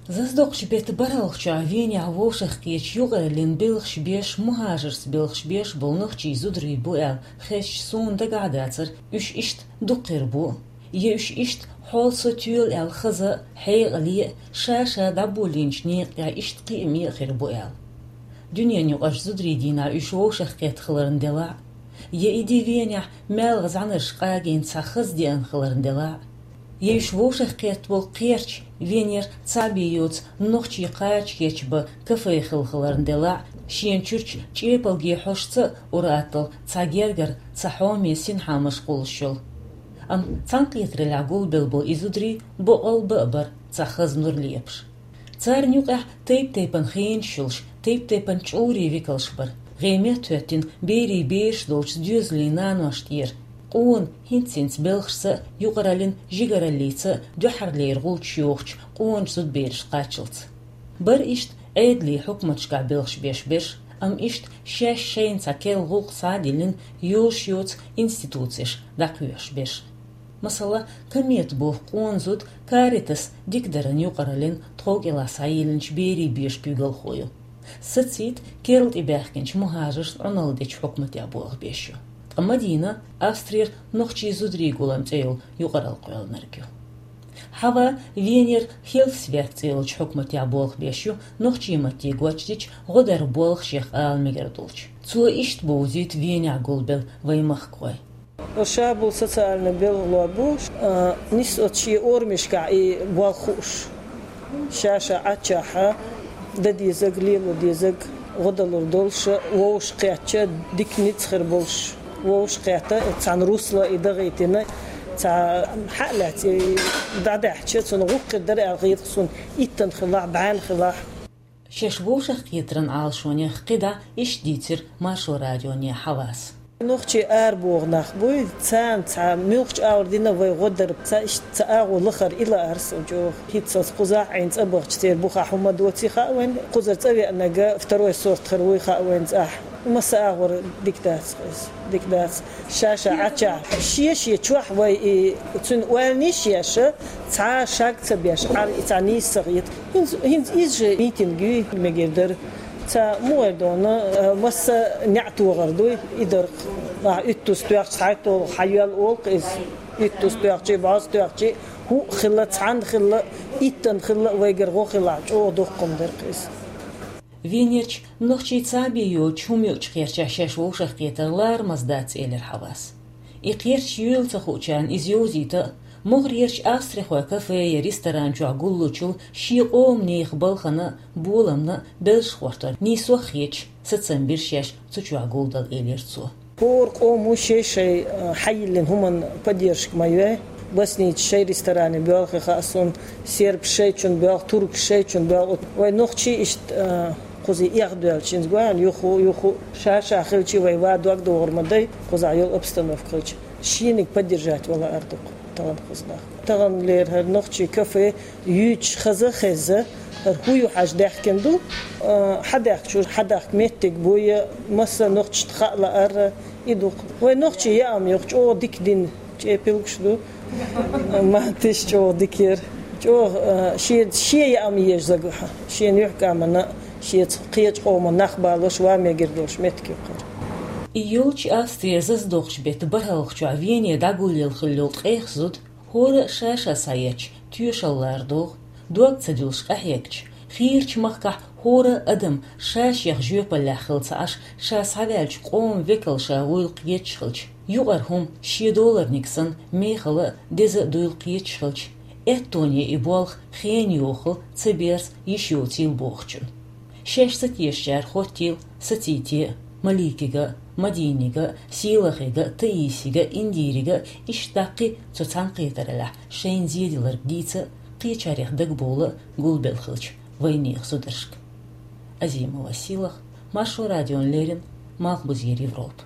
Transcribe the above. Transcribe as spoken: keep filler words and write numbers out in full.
Заздоккхача бетта бархӀалгӀачохь Венехь вовшахкхеташ юкъараллин белхаш беш, мухӀажарца белхаш беш болу нохчий зударий бу аьлла хезча, суна дагахь дацара уьш иштта дукха хир бу, я уьш иштта хьол со тоьлу аьлла хаза а, хьекъале а, ша-ша дӀаболийначу некъа тӀехь иштта кхиаме а хир бу аьлла. Дуьненан юкъарчу зударийн дийнахь уьш вовшахкхетта хиларна делахь а, я и де Венехь маьлхан зӀаьнарш къагийна цхьа хаза деана хиларна делахь а, я уьш вовшахкхетта болу кхерч Венера цхьаъ бен йоцу нохчий кхача кечбан кафе хилла хиларна делахь а, шена чуьрчу чӀепалге хьошца а ур-атталла цхьа гергара, цхьа хьоме синхьа машкъулаш йолу. Амма цхьаьнакхетараллехь гулбелла болу и зударий боккъал бан а бара цхьа хаза нур лепаш. Царна юкъехь тайп-тайпана хенаш йолуш, тайп-тайпана чӀурийн векалш бара. ГӀеметтахӀоьттина берийн бераш долчу доьзалийн нанош тӀера, къона хӀинц-хӀинца белхашца а, юкъараллин жигараллица а дуьххьарлера гӀулчаш йохучу къоначу зудабераш кхаччалц. Бара иштта Ӏедалийн хьукматашкахь белхаш беш берш, амма иштта шаьш шайна цхьа керла гӀуллакх схьа а диллина, йозуш йоцу институцеш дӀакхоьхьуш берш. Масала, Комета боху къона зуда Каритас дикадаран юкъараллин тхов кӀелахь схьайиллинчу берийн бешан куьйгалхо ю. Сацийта, керла тӀебаьхкинчу мухӀажаршна Ӏуналла дечу хьукматехь болх беш ю. Ткъа Мадина Австрера нохчий зударийн гулам цӀе йолу юкъаралла кхоьллинарг ю. Хьава Венера Хелфсверк цӀе йолчу хьукматехь болх беш ю, нохчийн матте гочдича гӀо даран болх шех ала мегар долчу. Цо иштта бовзуьйту Венехь гулбелла вайн махкахой. Ша болу социальный белхало бу, а, нис оцу шен орамашкахь и болх хууш. Ша-ша Ӏаччахьа дан дезарг, лело дезарг гӀо далур долуш, вовшахкхетча, дика ницкъ хир болуш. Вовшахкхетта, цхьана русла и дагӀийтина, цхьа хьа а лаьцна, и дӀадаьхьча, цунна гӀуллакх хир дара аьлла хета суна, иттанна хилахь, бӀенна хилахь. Шаьш вовшахкхетаран Ӏалашонех кхидӀа иштта дийцира Маршо радионе Хьавас. Нохчий арабоху нах буй, царна цхьа муьлххачу агӀор дина вай гӀо дар, цхьа иштта цхьа агӀо лахара и лаара суна чӀогӀа. ХӀинццалц кхузахь Ӏийна цӀа бахча церан бухахь хӀума доций хаьа вайна, кхузара цӀа веанарг второй сорт хир вуй хаьа вайна цӀахь. Масса агӀор дика дац иза, дика дац. Ша-ша Ӏаччахь, шен-шен чохь вай и цуьнан ойланаш еш, цхьа шаг ца беш, Ӏар и цхьа нийса ца хета. ХӀинца, хӀинца иза же митинг юй мегар дара. Цхьа мугӀар дона, э, масса неӀ тохар дуй, и дара. Ахь уьттуз тоьхча, цхьайтталгӀа хьайоьлла олу-кх иза. Уьттуз тоьхчий, бӀозза тоьхчий, хӀуъа хилла, цхьанна хилла, иттанна хилла, вайгара гӀо хилахь, чӀогӀа доккха хӀума дара-кх иза. Венерчу нохчий цхьаъ бен йоцчу хӀума юучу кхерчехь шаьш вовшахкхетар ларамаза дац, элира Хьавас. И кхерч юйла ца хуучарна иза йовзийта а, могӀарерчу австрихойн кафе я ресторан чохь гуллучул шен къоман нехан балхана а, боламна а белшаш гӀортор нийсо а хеташ, сацам бира шаьш цу чохь гулдала, элира цо. ХӀора къомо шай-шай, а, хьайиллина хӀуманна поддержка ма йой. Боснийцаш шайн ресторане боьлху хаьа суна, сербаш шайчунна боьлху, туркаш шайчунна боьлху. Вай нохчий иштта, а, кхузий эхь доьлчу, хӀинца гой хьуна, юху, юху, ша-ша хилча, вай ван дог догӀур ма дай, кхузахь йолу обстановка хилча. Шениг поддержать вала ар ду-кх тахана кхуза нах. Таханлера хӀара нохчий кафе юьйцуш хаза а хезна, хӀара хӀу ю хьажа даьхкина ду, а, хьадаьхкачуьра хьадахка меттиг буй, масса нохчашна хаа лаара и ду-кх. Вай нохчий яа ма ю-кх, чӀогӀа дика дина чӀепилгаш ду. Матташ чӀогӀа дика яра. ЧӀогӀа, а, шен, шен яа ма еза зага, шен юьхькӀамана, шеца кхечу къоман нах балош, ван мегар долуш меттиг ю-кх хӀара. И йолчу Австрера заздоккхачу бетта бархӀалгӀачохь Вене дӀагулъелла хилла йолу ткъех зуда хӀора а ша-ша схьаетташ тоьшалла лара догӀу, дог ца дуьллуш къахьегча, хийрачу махкахь хӀора а адам ша-шех жоьпаллехь хилла ца Ӏаш, ша схьаваьллачу къоман векал ша вуйла кхеташ хилча, юкъара хӀума шен доларниг санна мехала а, деза а дуйла кхеташ хилча, аьттоне и болх хенан йохал ца берза йиш йоцийла бохучун. Шаьш ца тешачара хӀоттийла сацийте а, Маликига а, Мадинига а, Сийлахига а, Таисига а, Индирига а, иштта даккхий цу цхьаьнакхетараллехь шайна зеделларг дийца а, кхечарех дагабовла а гулбелла хилча вайнехан зударшка. Азимова Сийлаха, Маршо радиона леррина, Малхбузера Европа.